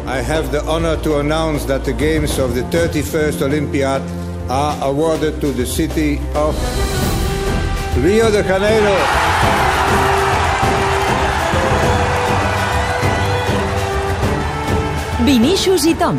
I have the honor to announce that the games of the 31st Olympiad are awarded to the city of Rio de Janeiro. Vinícius i Tom.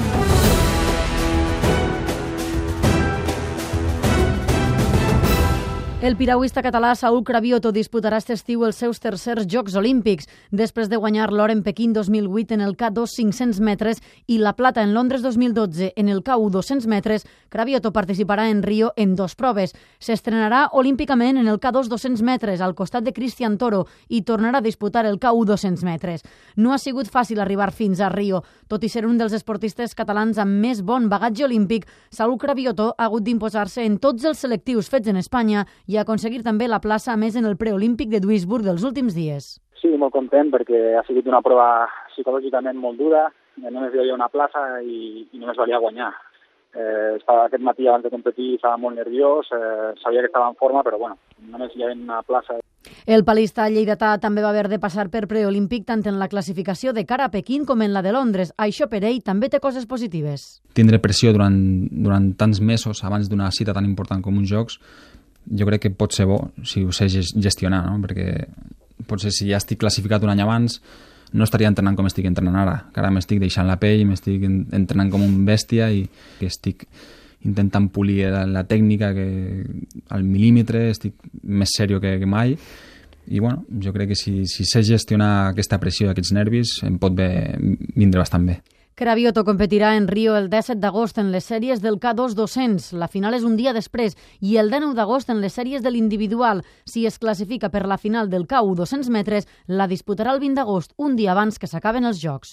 El piragüista català Saúl Cravioto disputarà aquest estiu els seus tercers Jocs Olímpics, després de guanyar l'or en Pequín 2008 en el K2 500 metres i la plata en Londres 2012 en el K1 200 metres. Cravioto participarà en Rio en 2 proves. S'estrenarà olímpicament en el K2 200 metres al costat de Cristian Toro i tornarà a disputar el K1 200 metres. No ha sigut fàcil arribar fins a Rio. Tot i ser un dels esportistes catalans amb més bon bagatge olímpic, Saúl Cravioto ha hagut d'imposar-se en tots els selectius fets en Espanya i aconseguir també la plaça a més en el preolímpic de Duisburg dels últims dies. Sí, molt content perquè ha sigut una prova psicològicament molt dura, només hi havia una plaça i només valia guanyar. Aquest matí abans de competir estava molt nerviós, sabia que estava en forma, però bueno, només hi havia una plaça. El palista lleidatà també va haver de passar per preolímpic tant en la classificació de cara a Pequín com en la de Londres. Això per ell també té coses positives. Tindre pressió durant tants mesos abans d'una cita tan important com uns Jocs, jo crec que pot ser bo si ho sé gestionar, no? Perquè potser si ja estic classificat un any abans no estaria entrenant com estic entrenant ara, que ara m'estic deixant la pell, m'estic entrenant com un bèstia i estic intentant polir la tècnica al mil·límetre, estic més seriós que mai i bueno, jo crec que si sé gestionar aquesta pressió i aquests nervis em pot vindre bastant bé. Cravioto competirà en Rio el 17 d'agost en les sèries del K2 200. La final és un dia després i el 19 d'agost en les sèries de l'individual. Si es classifica per la final del K1 200 metres, la disputarà el 20 d'agost, un dia abans que s'acaben els Jocs.